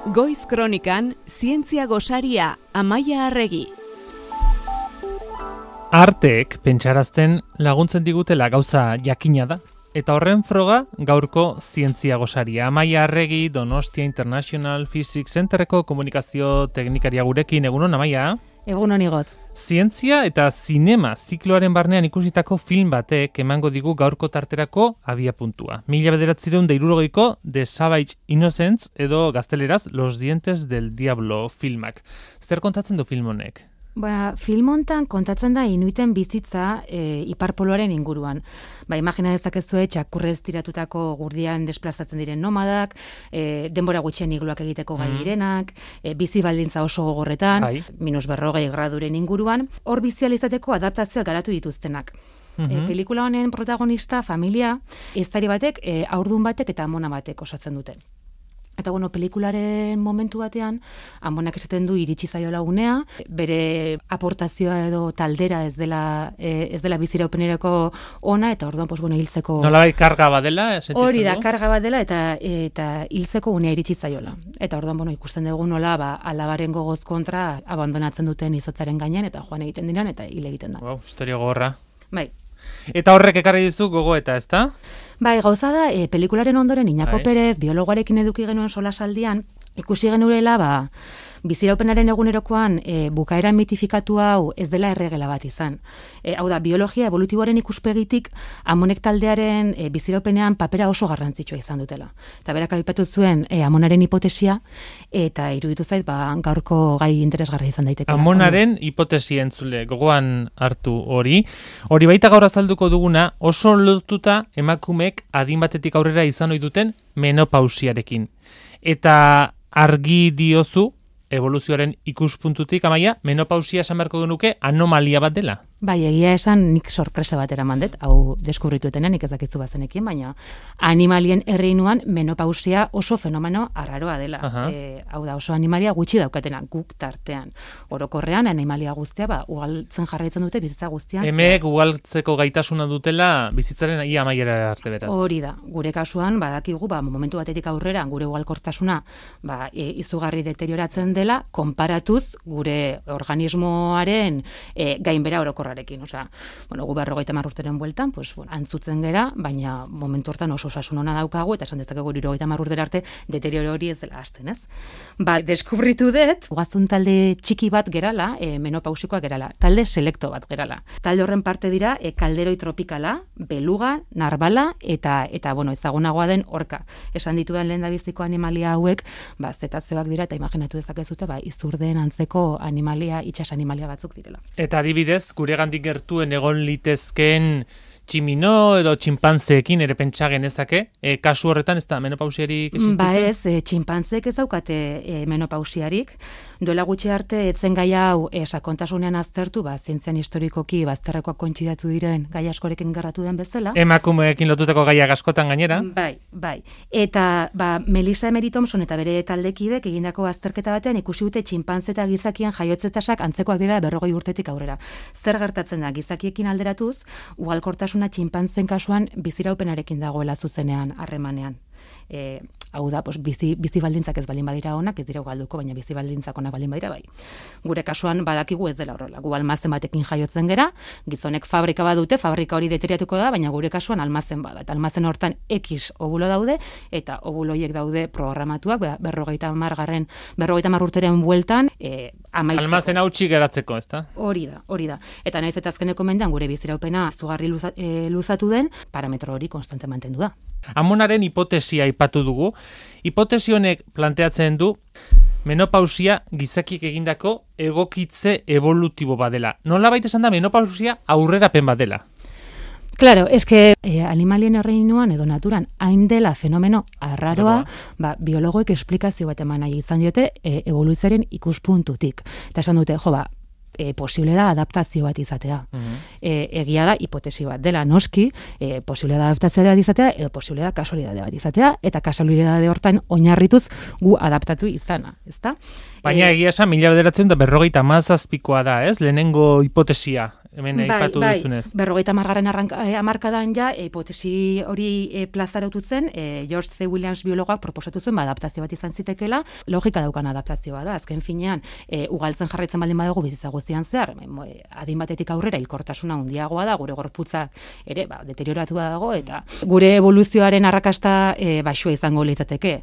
Goiz Kronikan, zientzia gosaria, Amaia Arregi. Arteek pentsarazten laguntzen digutela gauza jakina da. Eta horren froga gaurko zientzia gosaria. Amaia Arregi, Donostia International Physics Centerreko komunikazio teknikaria gurekin. Egunon, Amaia? Egunon igot. Zientzia eta zinema zikloaren barnean ikusitako film batek emango digu gaurko tarterako abiapuntua. 1960ko The Savage Innocents edo gazteleraz Los Dientes del Diablo filmak. Zer kontatzen du film honek? Film hontan kontatzen da inuiten bizitza Ipar Poloaren inguruan. Imagina dezakezue txakurrez tiratutako gurdian desplazatzen diren nomadak, denbora gutxien igluak egiteko gai direnak, bizi baldintza oso gogorretan, -40 graduren inguruan, hor bizi ahal izateko adaptazioak garatu dituztenak. Pelikula honen protagonista, familia, eztari batek, haurdun batek eta amona batek osatzen dute. Eta pelikularen momentu batean, amonak esaten du iritsi zaiola unea, bere aportazioa edo taldera ez dela biziraupenerako ona, eta orduan, hiltzeko... Nolabait karga badela? Hori da, karga badela, eta hiltzeko unea iritsi zaiola. Eta orduan, ikusten dugu nola, alabaren gogoz kontra abandonatzen duten izotzaren gainean, eta joan egiten diran, eta hil egiten da. Wow, historia gogorra. Bai. Eta horrek ekarri dizu gogoeta, ezta? Gauza da, pelikularen ondoren Iñako Perez, biologoarekin eduki genuen solasaldian, ikusi genuela, biziraupenaren egunerokoan bukaera mitifikatu hau ez dela erregela bat izan. Hau da, biologia evolutiboaren ikuspegitik amonek taldearen biziraupenean papera oso garrantzitsua izan dutela. Eta berak aipatu zuen amonaren hipotesia, eta iruditu zait, gaurko gai interesgarria izan daiteke. Amonaren hipotesia entzule, gogoan hartu hori. Hori baita gaur azalduko duguna, oso lotuta emakumeek adin batetik aurrera izan ohi duten menopausiarekin. Eta argi diozu, evoluzioaren ikuspuntutik, Amaia, menopausia esan beharko genuke anomalia bat dela? Egia esan nik sorpresa bat eraman dut, hau deskubrituetenean, nik ez dakitzu bazenekien, baina animalien erreinuan menopausia oso fenomeno arraroa dela. Hau da, oso animalia gutxi daukatena, guk tartean. Orokorrean, animalia guztia, ugaltzen jarraitzen dute bizitza guztian. Emeek ugaltzeko gaitasuna dutela bizitzaren ia amaiera arte beraz. Hori da, gure kasuan, badakigu, momentu batetik aurrera, gure ugalkortasuna izugarri deterioratzen dela, konparatuz gure organismoaren gainbera orokorrarekin. Gu 50 urteren bueltan, antzutzen gera, baina momentu hortan oso osasun ona daukagu, eta esan dezakegu 70 urtera arte deterioro hori ez dela hasten, ez? Deskubritu dut, gaztun talde txiki bat gerala, menopausikoa gerala, talde selekto bat gerala. Talde horren parte dira, kalderoi tropikala, beluga, narbala, eta ezagunagoa den orka. Esan dituen lehendabiziko animalia hauek, zetazioak dira, eta imaginatu dezakezute, izurden antzeko animalia, itsas animalia batzuk direla. Eta adibidez, gure gandik gertuen egon litezkeen tximino edo txinpantzeekin ere pentsa genezake, kasu horretan ez da menopausiarik existitzen? Txinpantzeek ez daukate menopausiarik. Duela gutxi arte, etzen gai hau sakontasunean aztertu, zientzian historikoki bazterrekoak kointzidatu diren gai askorekin gertatu den bezala. Emakumeekin lotutako gaiak askotan gainera. Bai. Eta Melissa Emery Thompson eta bere taldekidek egindako azterketa batean ikusi dute txinpantze eta gizakien jaiotze tasak antzekoak dira 40 urtetik aurrera. Zer gertatzen da, gizakiekin alderatuz, ugalkortasuna txinpantzen kasuan biziraupenarekin dagoela zuzenean harremanean. Hau da, bizi baldintzak ez baldin badira onak, ez dira ugalduko, baina bizi baldintzak onak baldin badira bai. Gure kasuan badakigu ez dela horrela. Gu almazen batekin jaiotzen gera, gizonek fabrika badute, fabrika hori deteriatuko da, baina gure kasuan almazen bada. Eta almazen hortan X ovulo daude, eta ovuloiek daude programatuak, 50 urteren bueltan, amaitzeko. Almazen hautsi geratzeko, ez da? Hori da. Eta naiz eta azkeneko mendean gure biziraupena zugarri luzatu den, parametro hori konstante mantendu da. Amonaren hipotesia aipatu dugu. Hipotesi honek planteatzen du menopausia gizakiek egindako egokitze evolutibo badela. Nolabait esan da menopausia aurrerapen badela? Claro, animalien erreinuan edo naturan hain dela fenomeno arraroa, biologoek esplikazio bat eman nahi izan diote evoluzioaren ikuspuntutik. Eta esan dute, posible da adaptazio bat izatea. Egia da hipotesi bat dela noski, posible da adaptazio bat izatea, edo posible da kasualidade bat izatea, eta kasualidade hortan oinarrituz gu adaptatu izana, ezta? Baina egia esan, 1957koa da, ez? Lehenengo hipotesia hemen aipatu duzunez. 50. hamarkadan ja, hipotesi hori plazaratu zen, George C. Williams biologoak proposatu zuen, adaptazio bat izan zitekela, logika daukan adaptazioa da, azken finean, ugaltzen jarraitzen baldin badugu bizitza guztian zehar, adin batetik aurrera hilkortasuna handiagoa da, gure gorputza ere, deterioratu dago, eta gure evoluzioaren arrakasta baxua izango litzateke.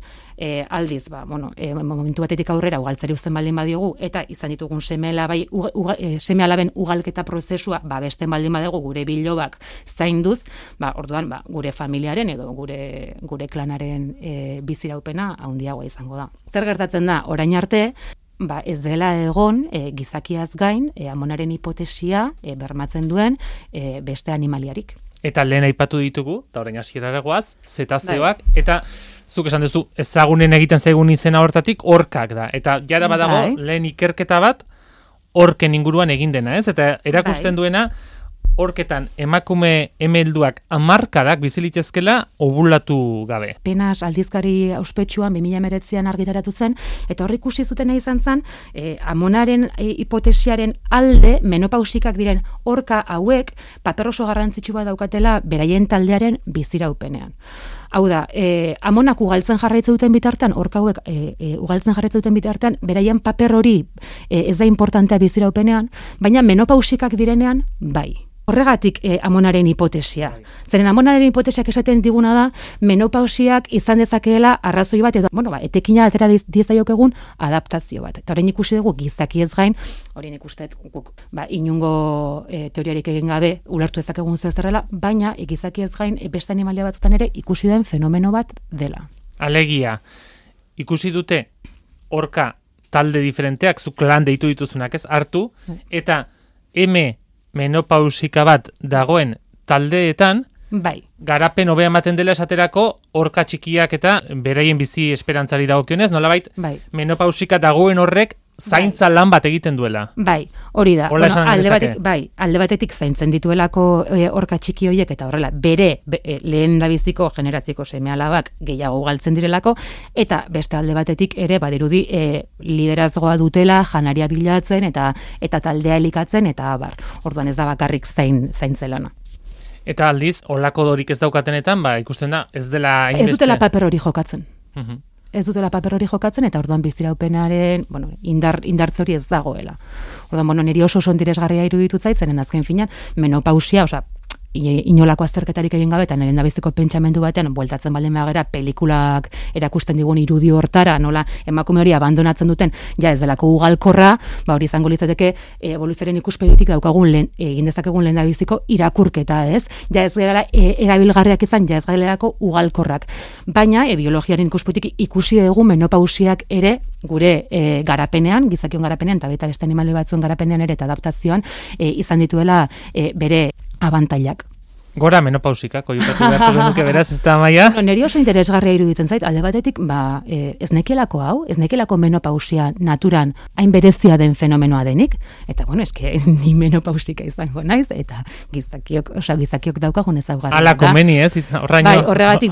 Aldiz, momentu batetik aurrera ugaltzari uzten baldin badiogu, eta izan ditugun seme-alaben ugalketa prozesua besten baldin badugu gure bilobak zainduz, orduan gure familiaren edo gure klanaren biziraupena handiagoa izango da. Zer gertatzen da, orain arte, ez dela egon gizakiaz gain amonaren hipotesia bermatzen duen beste animaliarik. Eta lehen aipatu ditugu, eta orain hasierara goaz, zetazeoak, eta zuk esan duzu, ezagunen egiten zaigun izena hortatik, orkak da. Eta jara badago, lehen ikerketa bat, orken inguruan egin dena, ez? Eta erakusten duena, orketan emakume emelduak hamarkadak bizilitezkela ovulatu gabe. Penas aldizkari auspetsuan 2019an argitaratu zen, eta hor ikusi zutena izan zen, amonaren hipotesiaren alde menopausikak diren orka hauek paper oso garrantzitsu bat daukatela beraien taldearen biziraupenean. Hau da, amonak ugaltzen jarraitzen duten bitartean, orka hauek ugaltzen jarraitzen duten bitartean, beraien paper hori ez da importantea biziraupenean, baina menopausikak direnean bai. Horregatik amonaren hipotesia. Zeren amonaren hipotesiak esaten diguna da, menopausiak izan dezakeela arrazoi bat, edo, etekina atera diezaiokegun adaptazio bat. Eta horrein ikusi dugu gizakiez gain, horrein ikustet guk, inungo teoriarik egin gabe ulertu ezakegun zezerrela, baina gizakiez gain beste animalia batzutan ere ikusi den fenomeno bat dela. Alegia, ikusi dute orka talde diferenteak, zu klan deitu dituzunak ez hartu, eta menopausika bat dagoen taldeetan, garapen hobea ematen dela esaterako orka txikiak eta beraien bizi esperantzari dagokionez, nolabait menopausika dagoen horrek zaintza lan bat egiten duela. Hori da. Alde batetik zaintzen dituelako orka txiki horiek eta horrela bere lehen dabiziko generatziko seme-alabak gehiago galtzen direlako, eta beste alde batetik ere badirudi liderazgoa dutela janaria bilatzen eta taldea elikatzen eta abar. Orduan ez da bakarrik zaintzelana. Eta aldiz, olako dorik ez daukatenetan, ikusten da, ez dela hainbeste. Ez dutela paper hori jokatzen. Ez dutela paper hori jokatzen, eta orduan biziraupenaren indartze hori ez dagoela. Orduan, niri oso interesgarria iruditu zait, zeren azken finean, menopausia, inolako azterketarik egin gabe, eta nire dabiziko pentsamendu batean, bueltatzen baldin bagera, pelikulak erakusten digun irudi hortara, nola emakume hori abandonatzen duten, ja ez delako ugalkorra, hori izango litzateke evoluzioaren ikuspegitik daukagun egin dezakegun lehen dabiziko irakurketa, ez? Ja ez gerala erabilgarriak izan, ja ez galerako ugalkorrak. Baina, biologiaren ikuspegitik ikusi dugu menopausiak ere gure garapenean, gizakion garapenean, eta beste animali batzuen garapenean ere eta adaptazioan izan dituela bere abantailak. Gora menopausikak, oiukatu beharko genuke beraz, ez da Amaia? Neri oso interesgarria iruditzen zait, alde batetik, ez nekelako hau, ez nekelako menopausia naturan hain berezia den fenomenoa denik, eta eske ni menopausika izango naiz, eta gizakiok daukagun ezaugarria. Ala komeni ez, horregatik,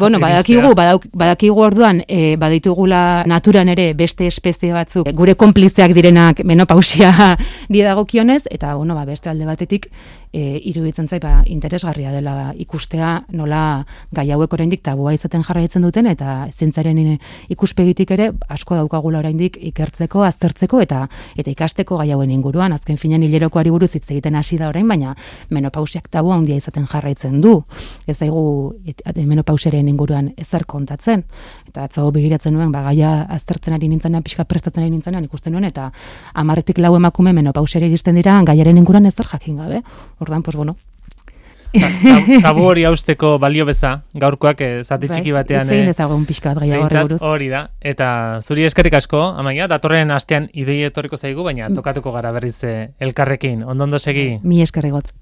badakigu orduan, baditugula naturan ere beste espezie batzuk, gure konplizeak direnak menopausia didagokionez, eta beste alde batetik, iruditzen zait, interesgarria dela ikustea nola gai hauek oraindik tabua izaten jarraitzen duten, eta zientziaren ikuspegitik ere asko daukagula oraindik ikertzeko, aztertzeko eta ikasteko gai hauen inguruan. Azken finean hilerokoari buruz hitz egiten hasi da orain, baina menopausiak tabua handia izaten jarraitzen du. Ez daigu menopausiaren inguruan ezer kontatzen. Eta atzo begiratzen nuen, gaia aztertzen ari nintzenean, pixka prestatzen ari nintzenean ikusten nuen, eta 10-4 emakume menopausiari iristen dira gaiaren inguruan ezer jakin gabe. Orduan, tabu hori hausteko balio beza, gaurkoak zati txiki batean. Zein ezagun pixka bat gaia horri buruz. Hori da, eta zuri eskerrik asko, Amaia, datorren astean idei etorriko zaigu, baina tokatuko gara berriz elkarrekin. Ondo segi. Mi eskerrigot.